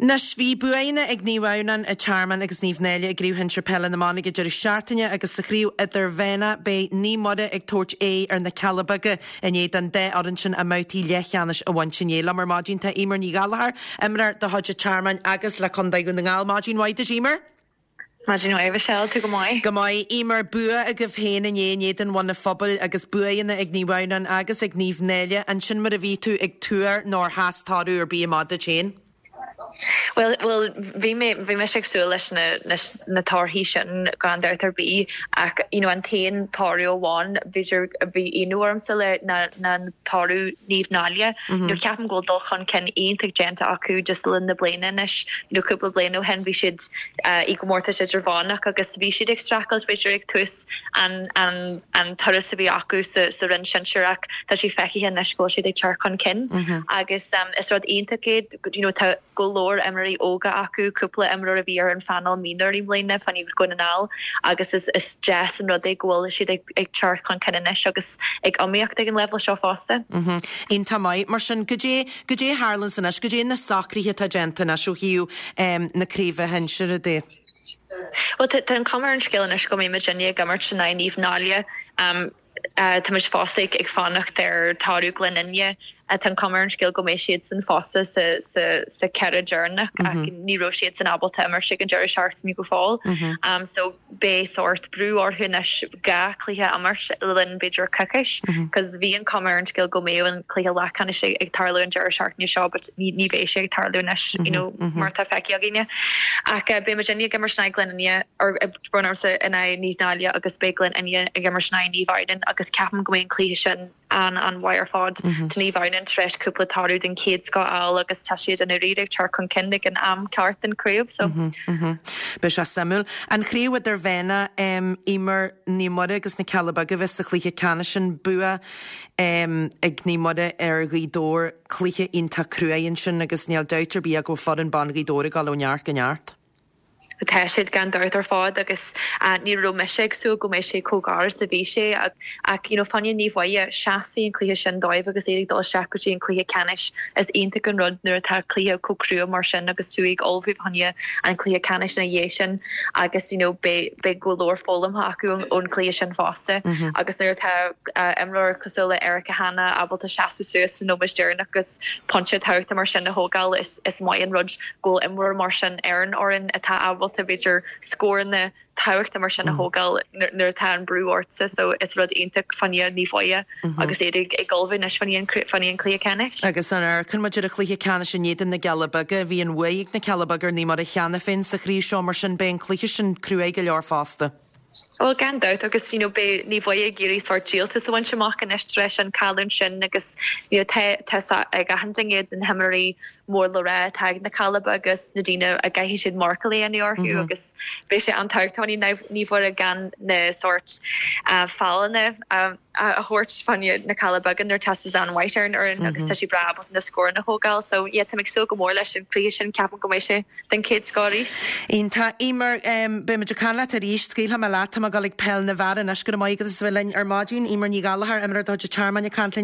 Anois, bhí buanna ag Naomh Adhamhnáin, an Tearmann agus Naomh Náille i gCraobh Shinsir Peile na mBan ag an deireadh seachtaine agus sa chraobh idirmheánach beidh Naomh Muire ag tabhairt aghaidh ar na Cealla Beaga i ndiaidh don dá fhoireann sin a mbabhtaí leathcheannais a bhaint inné. Liom ar maidin tá Eimear Ní Ghallchóir, imreoir de chuid an Tearmainn agus le Contae Dhún na nGall. Maidin mhaith duit, Eimear. Maidin mhaith, Michelle, tú go maith? Go maith. Eimear, bua agaibh féin inné in éadan Bhun an Phobail agus buanna ag Naomh Adhamhnáin agus ag Naomh Náille. An sin mar a bhí tú ag tuar nó ar sheas toradh ar bith amach duit féin? Bhuel, bhuel, bhí mé, bhí mise ag súil leis na, leis na torthaí sin gan dabht ar bith ach, you know, an t-aon toradh amháin b'fhéidir a bhí ionadh ormsa le ná, ná toradh Naomh Náille. You know, ceapaim go bhfuil dul chun cinn iontach déanta acu just le linn na bliana anois. You know, cúpla bliain ó shin bhí siad i gcomórtas idirmheánach agus bhí siad ag streachailt b'fhéidir ag tús an an an turas a bhí acu sa sa roinn sinsir ach tá sé feicthe anois go bhfuil siad ag teacht chun cinn agus is rud iontach é you know tá go leor imreoirí óga acu, cúpla imreoir a bhí ar an phainéal mionúir i mbliana fá choinne Dhún na nGall agus is is deas an rud é go bhfuil siad ag ag teacht chun cinn anois agus ag iomaíocht ag an leibhéal seo fosta. Iontach maith. Mar sin, goidé Goidé a tharlaíonns anois? Goidé na socruithe atá déanta anois ó thaobh na craoibhe shinsir de? Bhuel, tá an chuma ar an scéal anois go mbeidh muidinne ag imirt in aghaidh Naomh Náille. Táimid fosta ag fanacht ar toradh Ghleann Fhinne. Tá an chuma ar an scéal go mbeidh siadsan fosta sa cheithre deireanach ach ní raibh siadsan ábalta imirt ag an deireadh seachtaine go fóill. So beidh sórt brú orthu anois 2 chluiche a imirt le linn b'fhéidir coicís cos bhí an chuma ar an scéal go mbeadh an cluiche leathcheannais ag tarlú an deireadh seachtaine seo but ní ní bheidh sé ag tarlú anois you know mar atá feicthe againne. Ach beidh muidinne ag imirt in aghaidh Glen Fhinne or brón ormsa in aghaidh Naomh Náille agus beidh Glen Fhinne ag imirt in aghaidh Naomh Adhamhnáin agus ceapaim go mbeidh an cluiche sin an-an-mhaith ar fad. Tá Naomh Adhamhnáin tar éis cúpla toradh den chéad scoth a fháil agus tá siad i ndáiríre ag teacht chun cinn ag an am ceart den chraobh so. Beidh sé suimiúil. An chraobh idirmheánach, Eimear, Naomh Muire agus na Cealla Beaga a bheas sa chluiche ceannais sin. Bua ag Naomh Muire ar Ghaoth Dobhair, cluiche iontach cruaidh ansin agus níl dabht ar bith ach go bhfuil foireann ban Ghaoth Dobhair ag dul ó neart go neart. Tá siad gan dabht ar fad agus ní raibh mise ag súil go mbeidh sé chomh gar is a bhí sé ach you know fá choinne Naomh Muire, seasfaidh an cluiche sin dóibh agus iad ag dul isteach go dtí an cluiche ceannais. Is iontach an rud nuair atá cluiche chomh crua mar sin agus tú ag ullmhú fá choinne an cluiche ceannais ina dhiaidh sin agus you know beidh beidh go leor foghlamtha acu ón cluiche sin fosta agus nuair atá imreoir cosúil le Erica Hanna ábalta seasamh suas sa nóiméad deireanach agus pointe tábhachtach mar sin a thógáil, is maith an rud go bhfuil imreoir mar sin ar an fhoireann atá ábalta, b'fhéidir, scóranna tábhachtacha mar sin a thógáil nuair atá an brú ortsa. So is rud iontach fá choinne Naomh Muire agus iad ag ullmhú anois fá choinne an cluiche ceannais. Agus an amharcann muid ar an chluiche ceannais in éadan na gCealla Beaga, bhí an bhuaidh ag na Cealla Beaga ar Naomh Muire cheana féin sa chraobh seo, mar sin beidh an cluiche sin cruaidh go leor fosta. Bhuel, gan dabht, agus you know beidh Naomh Muire ag iarraidh sórt díoltas a bhaint amach anois tar éis an chailliúint sin agus you know tá tá a fhios ag achan duine na himreoirí mór le rá atá ag na Cealla Beaga agus na daoine a gcaithfidh siad marcáil a dhéanamh orthu agus beidh sé an-tábhachtach fá choinne Naomh Muire gan na sórt foulanna a a thabhairt fá choinne na Cealla Beaga nuair atá Suzanne White ar an fhoireann agus tá sí breá ábalta na scóranna a thógáil so yeah tá mé ag súil go mór leis an cluiche sin ceapaim go mbeidh sé den chéad scoth arís. Iontach. Eimear, beidh muid ag caint leat arís. Scaoilfidh mé leat. Tá mé ag dul ag peil na bhfear anois. Go raibh maith agat as a bheith linn ar maidin. Eimear Ní Ghallchóir, imreoir de chuid an Tearmainn ag caint linn.